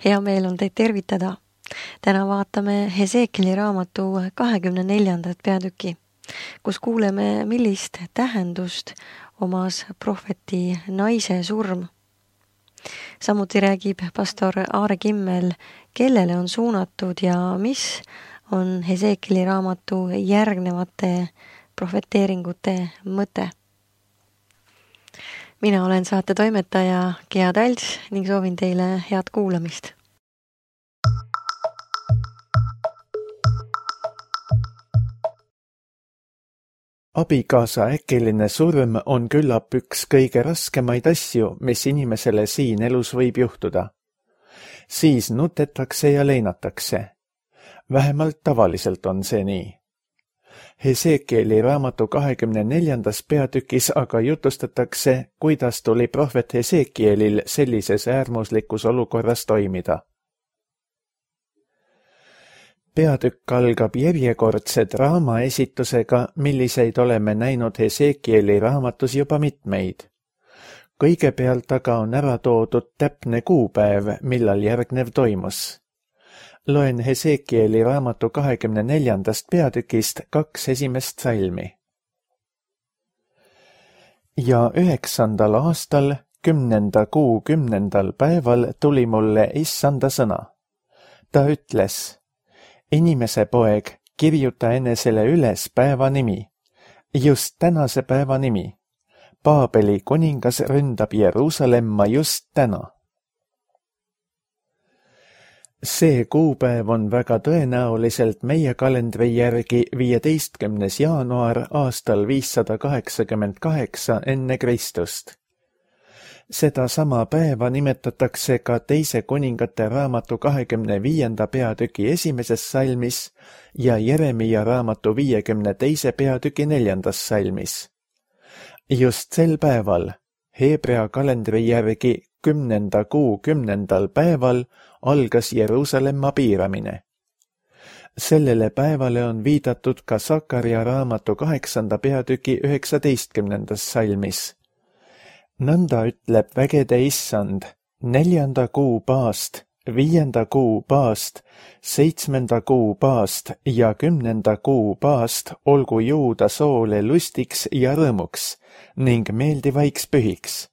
Hea meel on teid tervitada. Täna vaatame Hesekieli raamatu 24. peatüki, kus kuuleme, millist tähendust omas prohveti naise surm. Samuti räägib pastor Aare Kimmel, kellele on suunatud ja mis on Hesekieli raamatu järgnevate prohveteeringute mõte. Mina olen saate toimetaja Gea Talts ning soovin teile head kuulamist. Abikaasa äkiline surm on küllap üks kõige raskemaid asju, mis inimesele siin elus võib juhtuda. Siis nutetakse ja leinatakse. Vähemalt tavaliselt on see nii. Hesekieli raamatu 24. peatükis aga jutustatakse, kuidas tuli prohvet Hesekielil sellises äärmuslikus olukorras toimida. Peatükk algab järjekordse draama esitusega, milliseid oleme näinud Hesekieli raamatus juba mitmeid. Kõigepealt aga on ära toodud täpne kuupäev, millal järgnev toimus. Loen Hesekieli raamatu 24. peatükist 2 esimest salmi. Ja 9. aastal, 10. kuu 10. päeval tuli mulle issanda sõna. Ta ütles: Inimese poeg, kirjuta enesele üles päeva nimi, just tänase päeva nimi. Paabeli kuningas ründab Jeruusalemma just täna. See kuupäev on väga tõenäoliselt meie kalendri järgi 15. jaanuar aastal 588 enne Kristust. Seda sama päeva nimetatakse ka teise kuningate raamatu 25. peatüki 1. salmis ja Jeremia raamatu 52. peatüki 4. salmis. Just sel päeval, Heebrea kalendri järgi 10. kuu 10. päeval, algas Jeruusalemma piiramine. Sellele päevale on viidatud ka Sakaria raamatu 8. peatüki 19. salmis. Nõnda ütleb vägede issand, 4. kuu paast, 5. kuu paast, 7. kuu paast ja 10. kuu paast olgu Juuda soole lustiks ja rõõmuks ning meeldivaiks pühiks.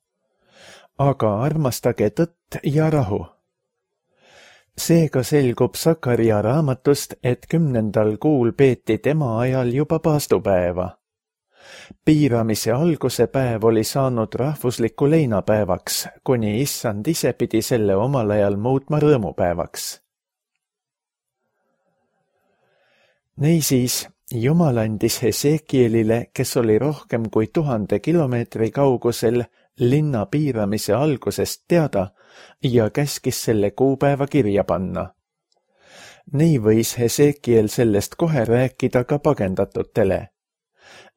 Aga armastage tõtt ja rahu. Seega selgub Sakaria raamatust, et 10. kuul peeti tema ajal juba paastupäeva. Piiramise alguse päev oli saanud rahvusliku leinapäevaks, kuni issand ise pidi selle omal ajal muutma rõõmupäevaks. Niisiis, Jumal andis Hesekielile, kes oli rohkem kui 1000 kilomeetri kaugusel, linna piiramise algusest teada ja käskis selle kuupäeva kirja panna. Nii võis Hesekiel sellest kohe rääkida ka pagendatutele.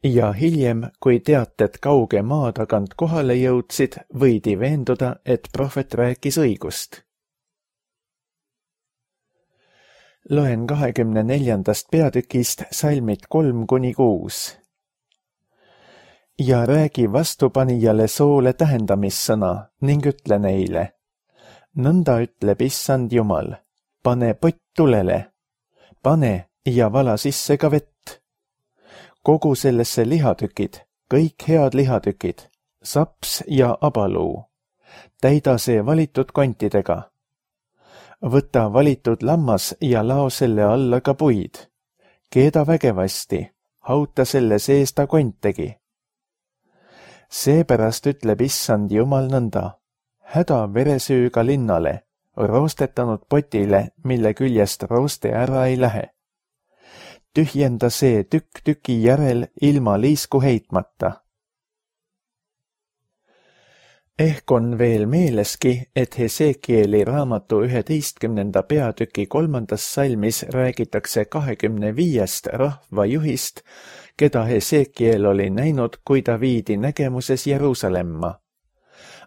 Ja hiljem, kui teated kauge maa tagant kohale jõudsid, võidi veenduda, et prohvet rääkis õigust. Loen 24. peatükist salmid 3-6. Ja räägi vastupanijale soole tähendamissõna ning ütle neile: Nõnda ütleb issand Jumal, pane pott tulele, pane ja vala sisse ka vett. Kogu sellesse lihatükid, kõik head lihatükid, saps ja abaluu. Täida see valitud kontidega. Võta valitud lammas ja lao selle alla ka puid. Keeda vägevasti, hauta selle sees ta kontegi. Seepärast ütleb issand Jumal nõnda: häda veresüüga linnale, roostetanud potile, mille küljest rooste ära ei lähe. Tühjenda see tükk tüki järel ilma liisku heitmata. Ehk on veel meeleski, et Hesekieli raamatu 11. peatüki 3. salmis räägitakse 25 rahvajuhist, keda Hesekiel oli näinud, kui ta viidi nägemuses Jeruusalemma.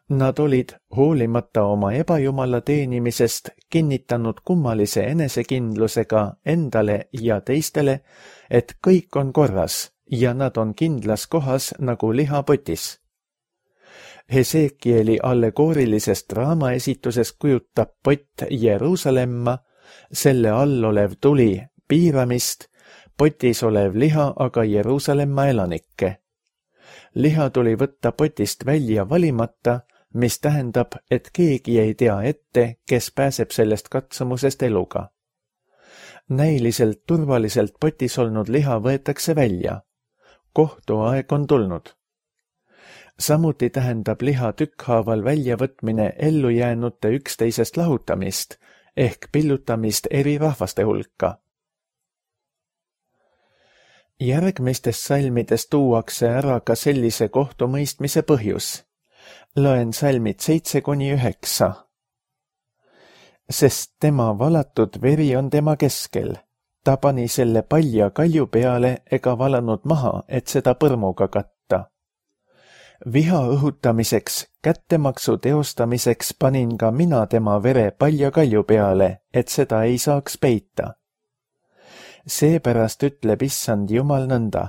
Nad olid, hoolimata oma ebajumala teenimisest, kinnitanud kummalise enesekindlusega endale ja teistele, et kõik on korras ja nad on kindlas kohas nagu lihapotis. Hesekieli allegoorilisest draamaesituses kujutab pott Jeruusalemma, selle all olev tuli piiramist, potis olev liha aga Jeruusalemma elanikke. Liha tuli võtta potist välja valimata, mis tähendab, et keegi ei tea ette, kes pääseb sellest katsumusest eluga. Näiliselt turvaliselt potis olnud liha võetakse välja. Kohtuaeg on tulnud. Samuti tähendab liha tükkhaaval väljavõtmine ellujäänute üksteisest lahutamist ehk pillutamist eri rahvaste hulka. Järgmistes salmides tuuakse ära ka sellise kohtumõistmise põhjus. Loen salmid 7-9. Sest tema valatud veri on tema keskel. Ta pani selle palja kalju peale ega valanud maha, et seda põrmuga katta. Viha õhutamiseks, kättemaksu teostamiseks panin ka mina tema vere palja kalju peale, et seda ei saaks peita. Seepärast ütleb issand Jumal nõnda,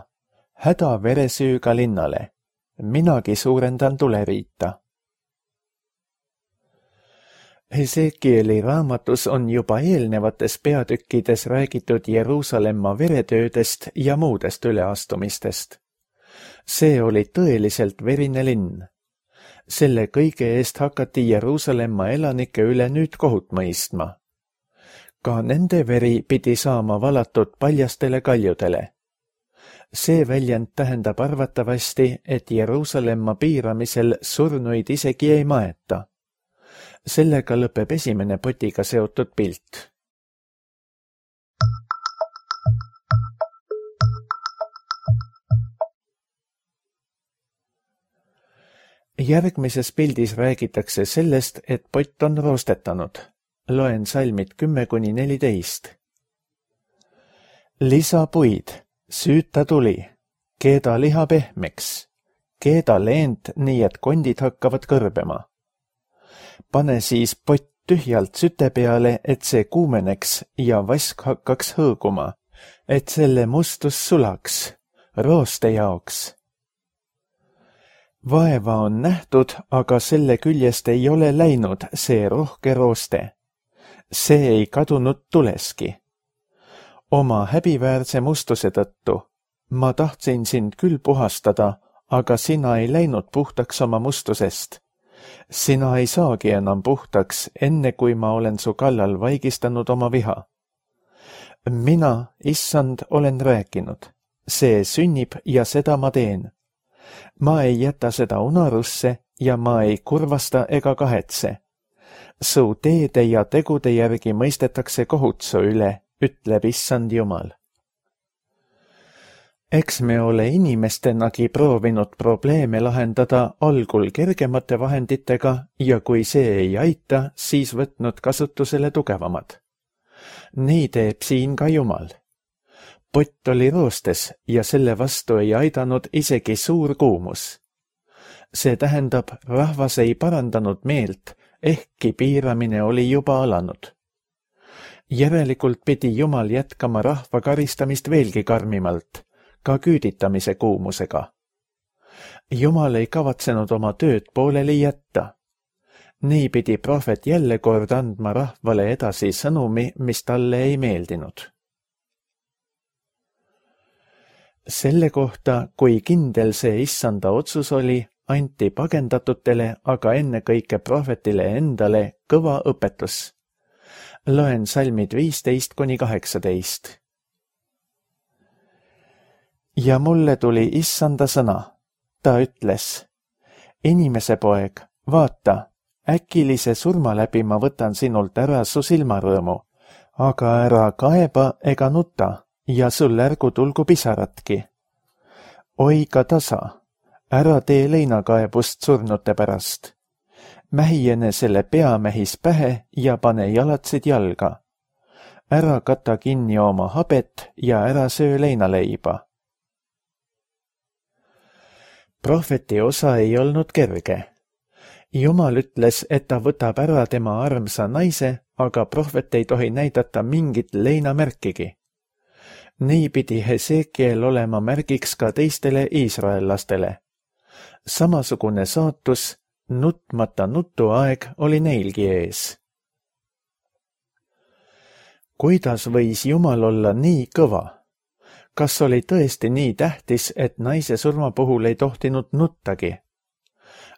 häda veresüüga linnale, minagi suurendan tuleriita. Hesekieli raamatus on juba eelnevates peatükkides räägitud Jeruusalemma veretöödest ja muudest üleastumistest. See oli tõeliselt verine linn. Selle kõige eest hakati Jeruusalemma elanike üle nüüd kohut mõistma. Ka nende veri pidi saama valatud paljastele kaljudele. See väljend tähendab arvatavasti, et Jeruusalemma piiramisel surnuid isegi ei maeta. Sellega lõpeb esimene potiga seotud pilt. Järgmises pildis räägitakse sellest, et pott on roostetanud. Loen salmid 10-14. Lisa puid, süüta tuli, keeda liha pehmeks, keeda leent nii, et kondid hakkavad kõrbema. Pane siis pott tühjalt süte peale, et see kuumeneks ja vask hakkaks hõõguma, et selle mustus sulaks, rooste jaoks. Vaeva on nähtud, aga selle küljest ei ole läinud see rohke rooste. See ei kadunud tuleski. Oma häbiväärse mustuse tõttu. Ma tahtsin sind küll puhastada, aga sina ei läinud puhtaks oma mustusest. Sina ei saagi enam puhtaks, enne kui ma olen su kallal vaigistanud oma viha. Mina, issand, olen rääkinud. See sünnib ja seda ma teen. Ma ei jäta seda unarusse ja ma ei kurvasta ega kahetse. Su teede ja tegude järgi mõistetakse kohut su üle, ütleb issand Jumal. Eks me ole inimestenagi proovinud probleeme lahendada algul kergemate vahenditega ja kui see ei aita, siis võtnud kasutusele tugevamad. Nii teeb siin ka Jumal. Pott oli roostes ja selle vastu ei aidanud isegi suur kuumus. See tähendab, rahvas ei parandanud meelt, ehkki piiramine oli juba alanud. Järelikult pidi Jumal jätkama rahva karistamist veelgi karmimalt, ka küüditamise kuumusega. Jumal ei kavatsenud oma tööd pooleli jätta. Nii pidi prohvet jälle kord andma rahvale edasi sõnumi, mis talle ei meeldinud. Selle kohta, kui kindel see issanda otsus oli, anti pagendatutele, aga ennekõike prohvetile endale kõva õpetus. Loen salmid 15-18. Ja mulle tuli issanda sõna. Ta ütles, inimese poeg, vaata, äkilise surma läbi ma võtan sinult ära su silmarõõmu, aga ära kaeba ega nuta ja sul ärgu tulgu pisaratki. Oi ka tasa, ära tee leinakaebust surnute pärast. Mähijene selle peamehis pähe ja pane jalatsid jalga. Ära kata kinni oma habet ja ära söö leinaleiba. Prohveti osa ei olnud kerge. Jumal ütles, et ta võtab ära tema armsa naise, aga prohvet ei tohi näidata mingit leinamärkigi. Nii pidi Hesekiel olema märgiks ka teistele iisraellastele. Samasugune saatus nutmata nutuaeg oli neilgi ees. Kuidas võis Jumal olla nii kõva? Kas oli tõesti nii tähtis, et naise surma puhul ei tohtinud nuttagi?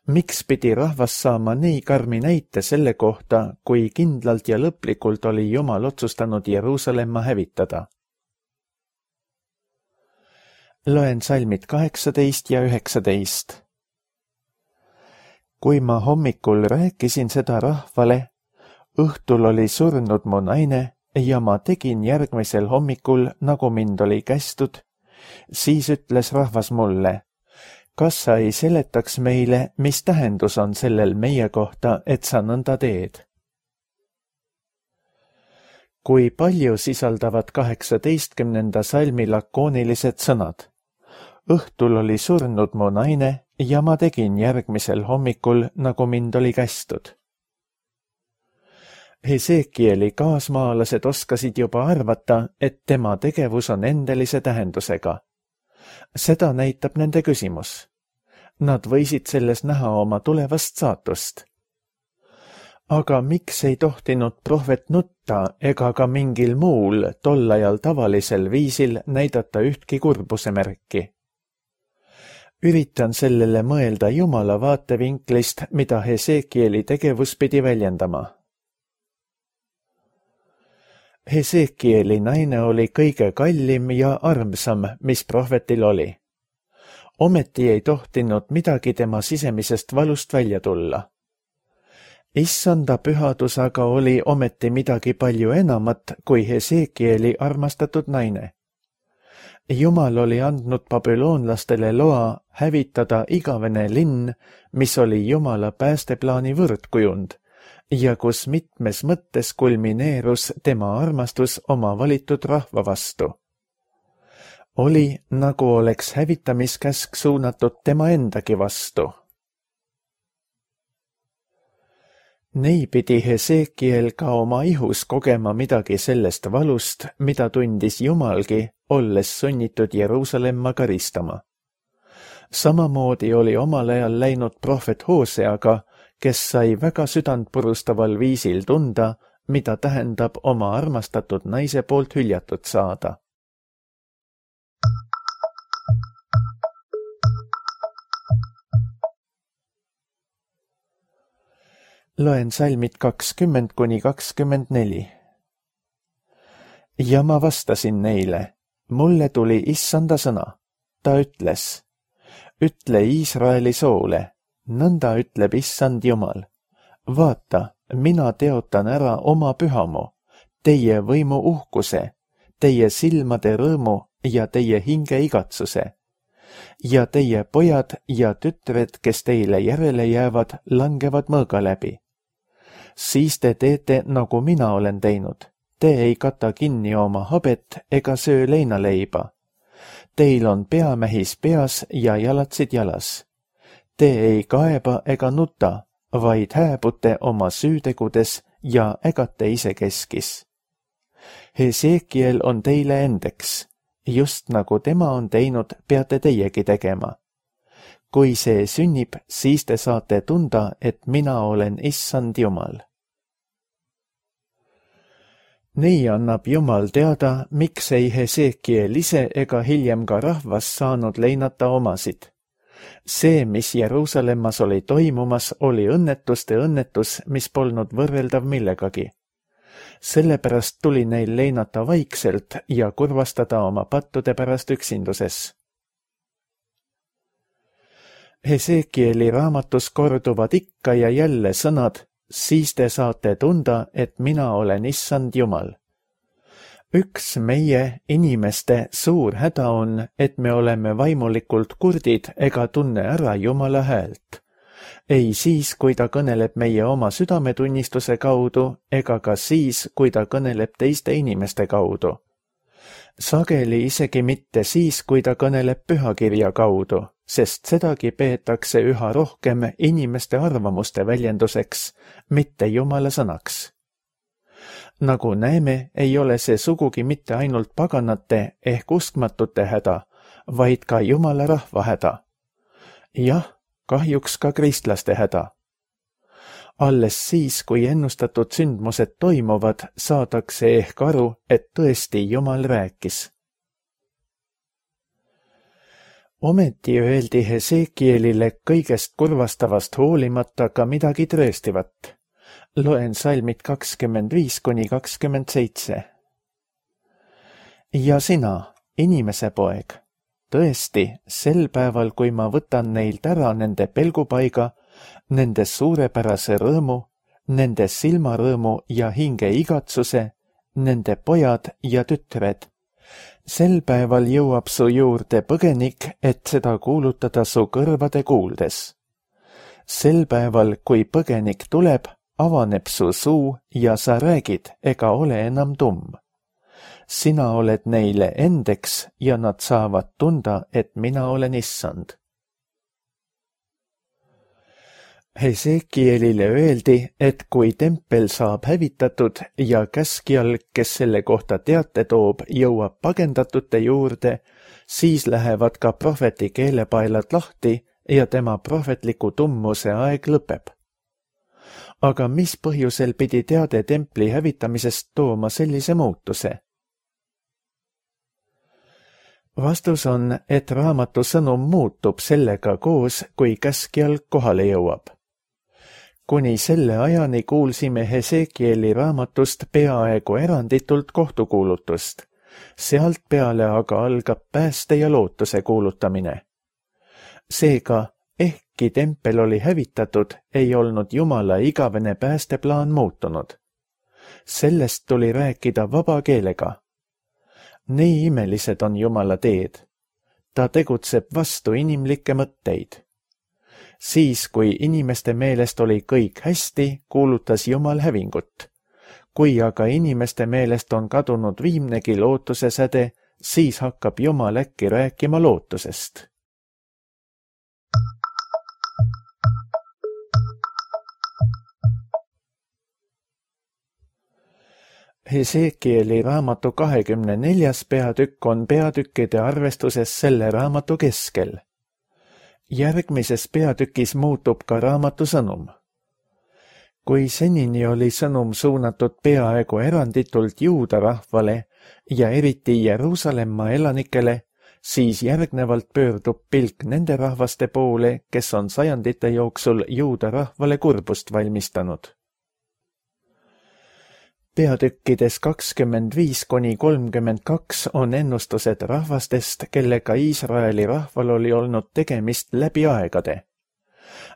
Miks pidi rahvas saama nii karmi näite selle kohta, kui kindlalt ja lõplikult oli Jumal otsustanud Jeruusalemma hävitada? Loen salmid 18 ja 19. Kui ma hommikul rääkisin seda rahvale, õhtul oli surnud mu naine ja ma tegin järgmisel hommikul, nagu mind oli kästud, siis ütles rahvas mulle, kas sa ei seletaks meile, mis tähendus on sellel meie kohta, et sa nõnda teed? Kui palju sisaldavad 18. salmi lakoonilised sõnad? Õhtul oli surnud mu naine ja ma tegin järgmisel hommikul, nagu mind oli kästud. Hesekieli kaasmaalased oskasid juba arvata, et tema tegevus on endelise tähendusega. Seda näitab nende küsimus. Nad võisid selles näha oma tulevast saatust. Aga miks ei tohtinud prohvet nutta ega ka mingil muul tollajal tavalisel viisil näidata ühtki kurbuse märki? Üritan sellele mõelda Jumala vaatevinklist, mida Hesekieli tegevus pidi väljendama. Hesekieli naine oli kõige kallim ja armsam, mis prohvetil oli. Ometi ei tohtinud midagi tema sisemisest valust välja tulla. Issanda pühadus aga oli ometi midagi palju enamat kui Hesekieli armastatud naine. Jumal oli andnud babüloonlastele loa hävitada igavene linn, mis oli Jumala päästeplaani võrdkujund ja kus mitmes mõttes kulmineerus tema armastus oma valitud rahva vastu. Oli, nagu oleks hävitamiskäsk suunatud tema endagi vastu. Nii pidi Hesekiel ka oma ihus kogema midagi sellest valust, mida tundis Jumalgi, olles sunnitud Jeruusalemma karistama. Samamoodi oli omal ajal läinud prohvet Hooseaga, kes sai väga südantpurustaval viisil tunda, mida tähendab oma armastatud naise poolt hüljatud saada. Loen salmid 20–24. Ja ma vastasin neile, mulle tuli issanda sõna. Ta ütles, ütle Iisraeli soole, nõnda ütleb issand Jumal. Vaata, mina teotan ära oma pühamu, teie võimu uhkuse, teie silmade rõõmu ja teie hinge igatsuse. Ja teie pojad ja tütred, kes teile järele jäävad, langevad mõõga läbi. Siis te teete, nagu mina olen teinud. Te ei kata kinni oma habet ega söö leinaleiba. Teil on peamähis peas ja jalatsid jalas. Te ei kaeba ega nuta, vaid hääbute oma süütegudes ja ägate isekeskis. Hesekiel on teile endeks. Just nagu tema on teinud, peate teiegi tegema. Kui see sünnib, siis te saate tunda, et mina olen issand Jumal. Nii annab Jumal teada, miks ei Hesekiel ise ega hiljem ka rahvas saanud leinata omasid. See, mis Jeruusalemmas oli toimumas, oli õnnetuste õnnetus, mis polnud võrreldav millegagi. Sellepärast tuli neil leinata vaikselt ja kurvastada oma pattude pärast üksinduses. Hesekieli raamatus korduvad ikka ja jälle sõnad, siis te saate tunda, et mina olen issand Jumal. Üks meie inimeste suur häda on, et me oleme vaimulikult kurdid ega tunne ära Jumala häält. Ei siis, kui ta kõneleb meie oma südametunnistuse kaudu, ega ka siis, kui ta kõneleb teiste inimeste kaudu. Sageli isegi mitte siis, kui ta kõneleb pühakirja kaudu, sest sedagi peetakse üha rohkem inimeste arvamuste väljenduseks, mitte Jumala sõnaks. Nagu näeme, ei ole see sugugi mitte ainult paganate ehk uskmatute häda, vaid ka Jumala rahva häda. Jah, kahjuks ka kristlaste häda, Alles siis, kui ennustatud sündmused toimuvad, saadakse ehk aru, et tõesti Jumal rääkis. Ometi öeldi Hesekielile kõigest kurvastavast hoolimata ka midagi tõestivat. Loen salmid 25–27. Ja sina, inimese poeg, tõesti, sel päeval, kui ma võtan neilt ära nende pelgupaiga, nende suurepärase rõõmu, nende silmarõõmu ja hinge igatsuse, nende pojad ja tütred. Sel päeval jõuab su juurde põgenik, et seda kuulutada su kõrvade kuuldes. Sel päeval, kui põgenik tuleb, avaneb su suu ja sa räägid ega ole enam tumm. Sina oled neile endeks ja nad saavad tunda, et mina olen issand. Hesekielile öeldi, et kui tempel saab hävitatud ja käskjal, kes selle kohta teate toob, jõuab pagendatute juurde, siis lähevad ka prohveti keelepaelad lahti ja tema prohvetliku tummuse aeg lõpeb. Aga mis põhjusel pidi teade templi hävitamisest tooma sellise muutuse? Vastus on, et raamatu sõnum muutub sellega koos, kui käskjal kohale jõuab. Kuni selle ajani kuulsime Hesekieli raamatust peaaegu eranditult kohtukuulutust. Sealt peale aga algab pääste ja lootuse kuulutamine. Seega, ehkki tempel oli hävitatud, ei olnud Jumala igavene päästeplaan muutunud. Sellest tuli rääkida vaba keelega. Nii imelised on Jumala teed. Ta tegutseb vastu inimlikke mõtteid. Siis, kui inimeste meelest oli kõik hästi, kuulutas Jumal hävingut. Kui aga inimeste meelest on kadunud viimnegi lootuse säde, siis hakkab Jumal äkki rääkima lootusest. Hesekieli raamatu 24. peatükk on peatükkide arvestuses selle raamatu keskel. Järgmises peatükis muutub ka raamatu sõnum. Kui senini oli sõnum suunatud peaaegu eranditult juuda rahvale ja eriti Jeruusalemma elanikele, siis järgnevalt pöördub pilk nende rahvaste poole, kes on sajandite jooksul juuda rahvale kurbust valmistanud. Peatükkides 25–32 on ennustused rahvastest, kellega Iisraeli rahval oli olnud tegemist läbi aegade.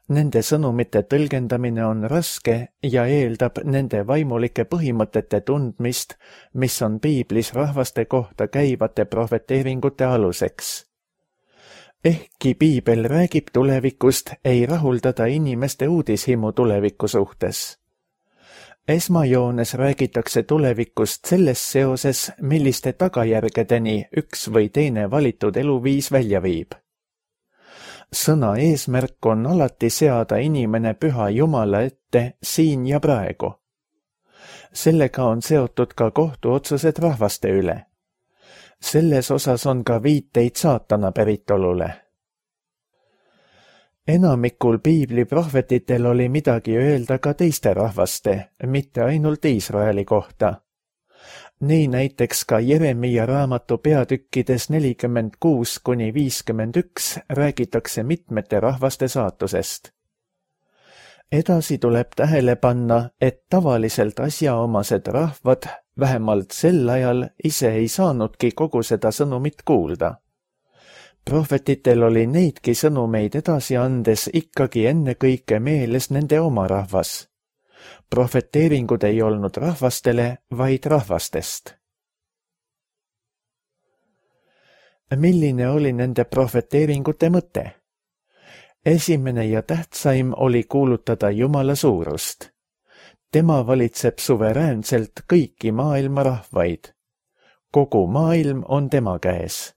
Nende sõnumite tõlgendamine on raske ja eeldab nende vaimulike põhimõtete tundmist, mis on piiblis rahvaste kohta käivate prohveteeringute aluseks. Ehkki piibel räägib tulevikust, ei rahuldada inimeste uudishimu tuleviku suhtes. Esmajoones räägitakse tulevikust selles seoses, milliste tagajärgedeni üks või teine valitud eluviis välja viib. Sõna eesmärk on alati seada inimene püha Jumala ette siin ja praegu. Sellega on seotud ka kohtuotsused rahvaste üle. Selles osas on ka viiteid saatana päritolule. Enamikul piibli prohvetitel oli midagi öelda ka teiste rahvaste, mitte ainult Iisraeli kohta. Nii näiteks ka Jeremia raamatu peatükkides 46–51 räägitakse mitmete rahvaste saatusest. Edasi tuleb tähele panna, et tavaliselt asjaomased rahvad, vähemalt sel ajal, ise ei saanudki kogu seda sõnumit kuulda. Prohvetitel oli neidki sõnumeid edasi andes ikkagi ennekõike meeles nende oma rahvas. Prohveteeringud ei olnud rahvastele, vaid rahvastest. Milline oli nende prohveteeringute mõte? Esimene ja tähtsaim oli kuulutada Jumala suurust. Tema valitseb suveräänselt kõiki maailma rahvaid. Kogu maailm on tema käes.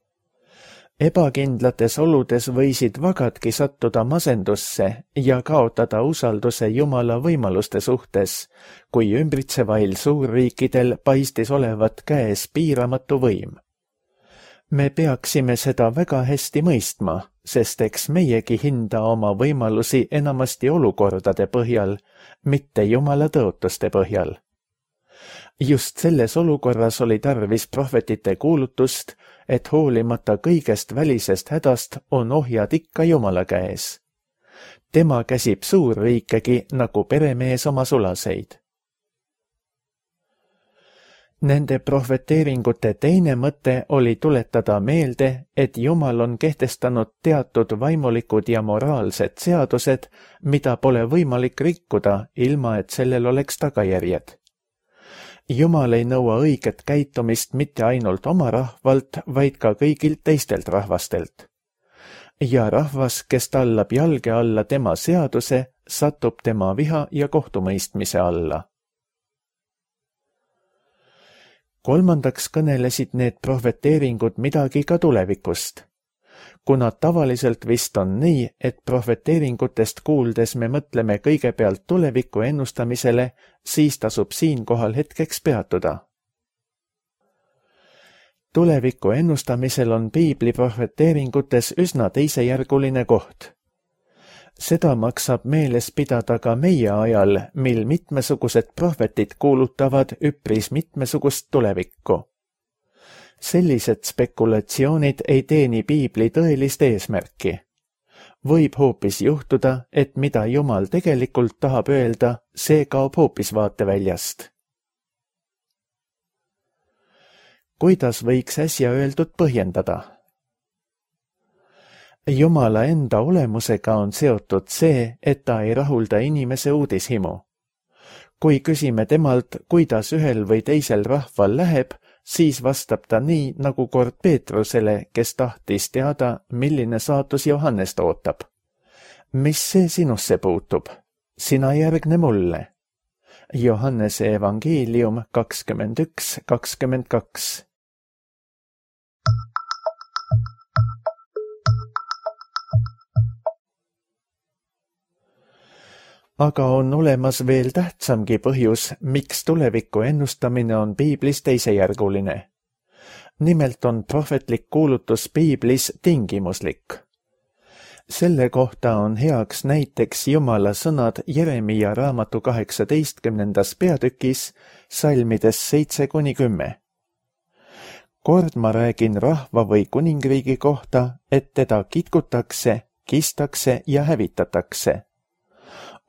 Ebakindlates oludes võisid vagadki sattuda masendusse ja kaotada usalduse Jumala võimaluste suhtes, kui ümbritsevail suurriikidel paistis olevat käes piiramatu võim. Me peaksime seda väga hästi mõistma, sest eks meiegi hinda oma võimalusi enamasti olukordade põhjal, mitte Jumala tõotuste põhjal. Just selles olukorras oli tarvis prohvetite kuulutust, et hoolimata kõigest välisest hädast on ohjad ikka Jumala käes. Tema käsib suurriikegi nagu peremees oma sulaseid. Nende prohveteeringute teine mõte oli tuletada meelde, et Jumal on kehtestanud teatud vaimulikud ja moraalsed seadused, mida pole võimalik rikkuda, ilma et sellel oleks tagajärjed. Jumal ei nõua õiget käitumist mitte ainult oma rahvalt, vaid ka kõigilt teistelt rahvastelt. Ja rahvas, kes tallab jalge alla tema seaduse, satub tema viha ja kohtumõistmise alla. Kolmandaks kõnelesid need prohveteeringud midagi ka tulevikust. Kuna tavaliselt vist on nii, et prohveteeringutest kuuldes me mõtleme kõigepealt tuleviku ennustamisele, siis tasub siinkohal hetkeks peatuda. Tuleviku ennustamisel on piibli prohveteeringutes üsna teisejärguline koht. Seda maksab meeles pidada ka meie ajal, mil mitmesugused prohvetid kuulutavad üpris mitmesugust tulevikku. Sellised spekulatsioonid ei teeni piibli tõelist eesmärki. Võib hoopis juhtuda, et mida Jumal tegelikult tahab öelda, see kaob hoopis vaateväljast. Kuidas võiks äsja öeldud põhjendada? Jumala enda olemusega on seotud see, et ta ei rahulda inimese uudishimu. Kui küsime temalt, kuidas ühel või teisel rahval läheb, siis vastab ta nii, nagu kord Peetrusele, kes tahtis teada, milline saatus Johannest ootab. Mis see sinusse puutub? Sina järgne mulle. Johannese evangeelium 21:22. Aga on olemas veel tähtsamgi põhjus, miks tuleviku ennustamine on piiblis teisejärguline. Nimelt on prohvetlik kuulutus piiblis tingimuslik. Selle kohta on heaks näiteks Jumala sõnad Jeremia raamatu 18. peatükis, salmides 7-10. Kord ma räägin rahva või kuningriigi kohta, et teda kitkutakse, kistakse ja hävitatakse.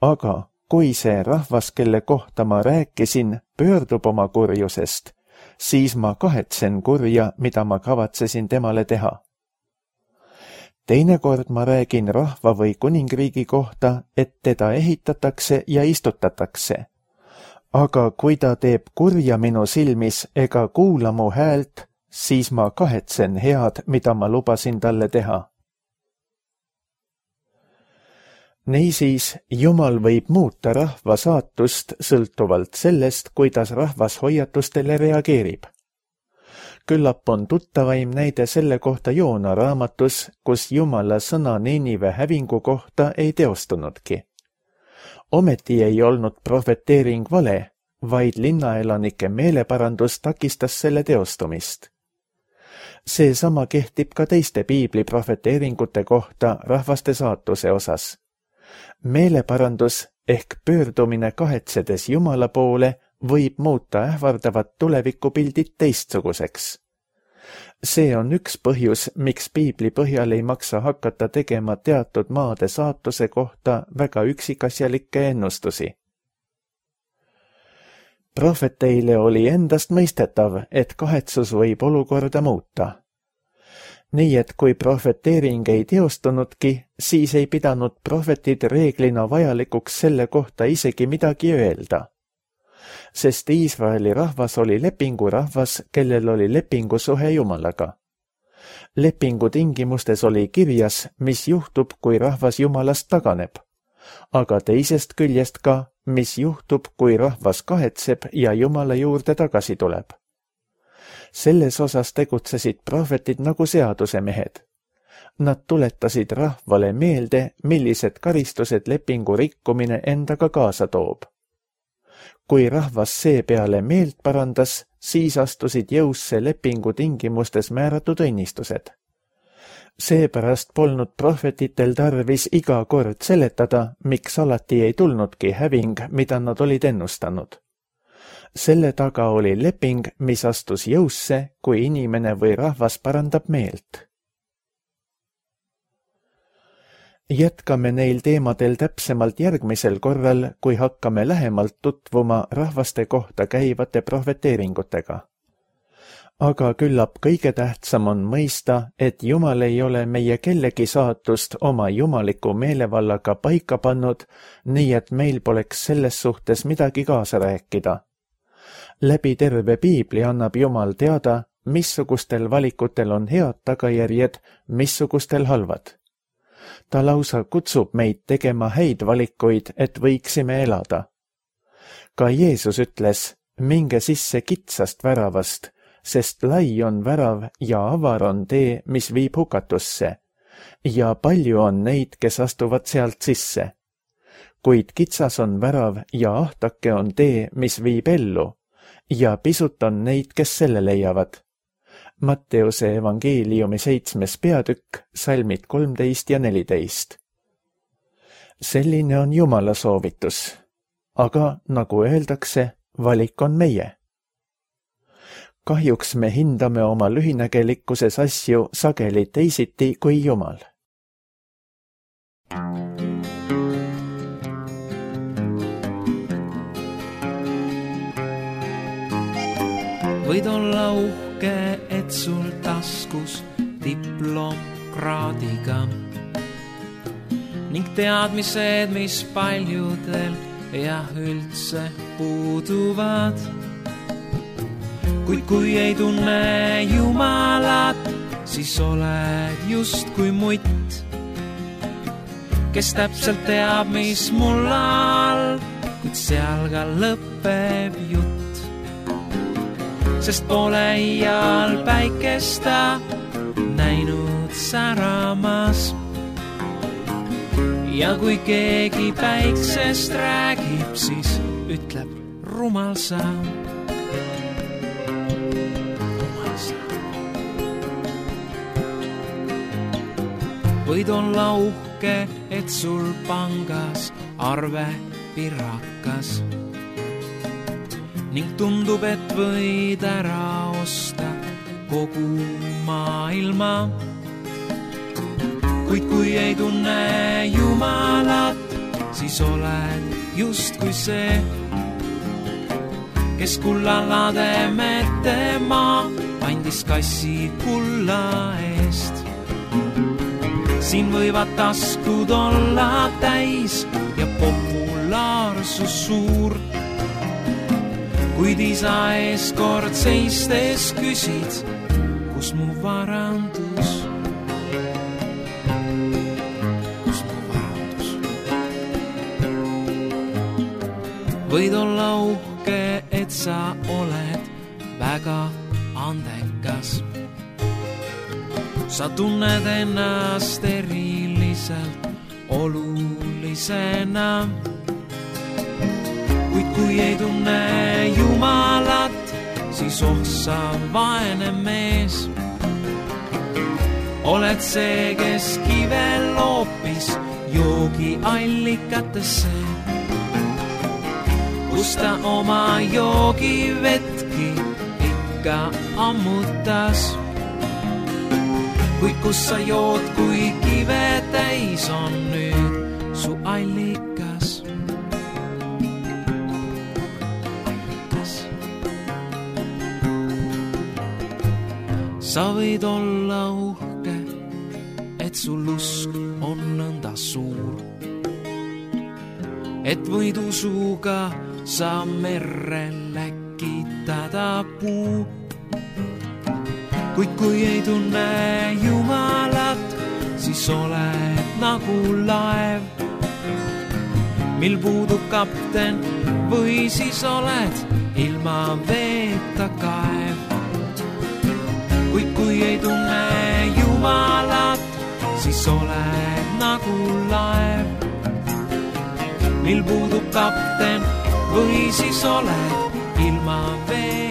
Aga kui see rahvas, kelle kohta ma rääkisin, pöördub oma kurjusest, siis ma kahetsen kurja, mida ma kavatsesin temale teha. Teinekord ma räägin rahva või kuningriigi kohta, et teda ehitatakse ja istutatakse. Aga kui ta teeb kurja minu silmis ega kuula mu häält, siis ma kahetsen head, mida ma lubasin talle teha. Niisiis, Jumal võib muuta rahva saatust sõltuvalt sellest, kuidas rahvas hoiatustele reageerib. Küllap on tuttavaim näide selle kohta Joona raamatus, kus Jumala sõna Niinive hävingu kohta ei teostunudki. Ometi ei olnud prohveteering vale, vaid linnaelanike meeleparandus takistas selle teostumist. Seesama kehtib ka teiste piibli prohveteeringute kohta rahvaste saatuse osas. Meeleparandus ehk pöördumine kahetsedes Jumala poole võib muuta ähvardavat tulevikupildid teistsuguseks. See on üks põhjus, miks piibli põhjal ei maksa hakata tegema teatud maade saatuse kohta väga üksikasjalikke ennustusi. Prohveteile oli endast mõistetav, et kahetsus võib olukorda muuta. Nii et kui prohveteering ei teostunudki, siis ei pidanud prohvetid reeglina vajalikuks selle kohta isegi midagi öelda. Sest Iisraeli rahvas oli lepingurahvas, kellel oli lepingusuhe Jumalaga. Lepingu tingimustes oli kirjas, mis juhtub, kui rahvas Jumalast taganeb, aga teisest küljest ka, mis juhtub, kui rahvas kahetseb ja Jumala juurde tagasi tuleb. Selles osas tegutsesid prohvetid nagu seadusemehed. Nad tuletasid rahvale meelde, millised karistused lepingu rikkumine endaga kaasa toob. Kui rahvas seepeale meelt parandas, siis astusid jõusse lepingu tingimustes määratud õnnistused. Seepärast polnud prohvetitel tarvis iga kord seletada, miks alati ei tulnudki häving, mida nad olid ennustanud. Selle taga oli leping, mis astus jõusse, kui inimene või rahvas parandab meelt. Jätkame neil teemadel täpsemalt järgmisel korral, kui hakkame lähemalt tutvuma rahvaste kohta käivate prohveteeringutega. Aga küllap kõige tähtsam on mõista, et Jumal ei ole meie kellegi saatust oma jumaliku meelevallaga paika pannud, nii et meil poleks selles suhtes midagi kaasa rääkida. Läbi terve Piibli annab Jumal teada, missugustel valikutel on head tagajärjed, missugustel halvad. Ta lausa kutsub meid tegema häid valikuid, et võiksime elada. Ka Jeesus ütles, minge sisse kitsast väravast, sest lai on värav ja avar on tee, mis viib hukatusse, ja palju on neid, kes astuvad sealt sisse. Kuid kitsas on värav ja ahtake on tee, mis viib ellu, ja pisut on neid, kes selle leiavad. Matteuse evangeeliumi 7. peatükk, salmid 13 ja 14. Selline on Jumala soovitus. Aga, nagu öeldakse, valik on meie. Kahjuks me hindame oma lühinägelikkuses asju sageli teisiti kui Jumal. Võid olla uhke, et sul taskus diplomkraadiga ning teadmised, mis paljudel ja üldse puuduvad. Kuid kui ei tunne Jumalat, siis oled just kui mutt, kes täpselt teab, mis mul all, kuid seal ka lõpeb jutt. Sest pole iial päikesta näinud säramas. Ja kui keegi päiksest räägib, siis ütleb rumal sa. Võid olla uhke, et sul pangas arve pirakas ning tundub, et võid ära osta kogu maailma. Kuid kui ei tunne Jumalat, siis oled just kui see, kes kullalade metema andis kassi kulla eest. Siin võivad taskud olla täis ja populaarsus suur, kuid isa ees kord seistes küsid, kus mu varandus? Kus mu varandus? Võid olla uhke, et sa oled väga andekas. Sa tunned ennast eriliselt olulisena. Kuid kui ei tunne Jumalat, siis sa vaene mees. Oled see, kes kive loopis joogiallikatesse, kus ta oma joogivetki ikka ammutas. Kuid kus sa jood, kui kive täis on nüüd su allikas? Sa võid olla uhke, et sul usk on nõnda suur, et võid usuga sa merre läkitada puu. Kuid kui ei tunne Jumalat, siis oled nagu laev, mil puudub kapten, või siis oled ilma veeta kaev. Kuid kui ei tunne Jumalat, siis oled nagu laev, mil puudub kapten, või siis oled ilma veeta.